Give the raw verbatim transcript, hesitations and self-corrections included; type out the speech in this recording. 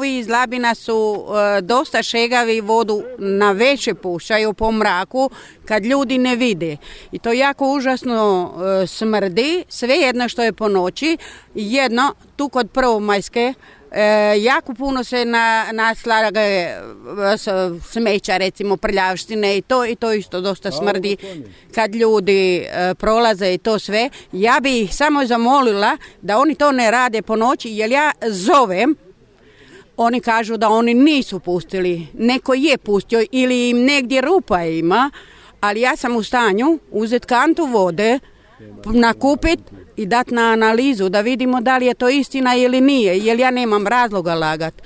ovi iz Labina su e, dosta šegavi, vodu na veće pušaju po mraku kad ljudi ne vide. I to jako užasno e, smrdi, sve jedno što je po noći. Jedno, tu kod Prvomajske, E, jako puno se na, naslaga smeća, recimo prljavštine i to i to isto dosta smrdi kad ljudi e, prolaze i to sve. Ja bi ih samo zamolila da oni to ne rade po noći, jer ja zovem, oni kažu da oni nisu pustili, neko je pustio ili im negdje rupa ima, ali ja sam u stanju uzeti kantu vode, nakupit i dati na analizu da vidimo da li je to istina ili nije, jer ja nemam razloga lagat.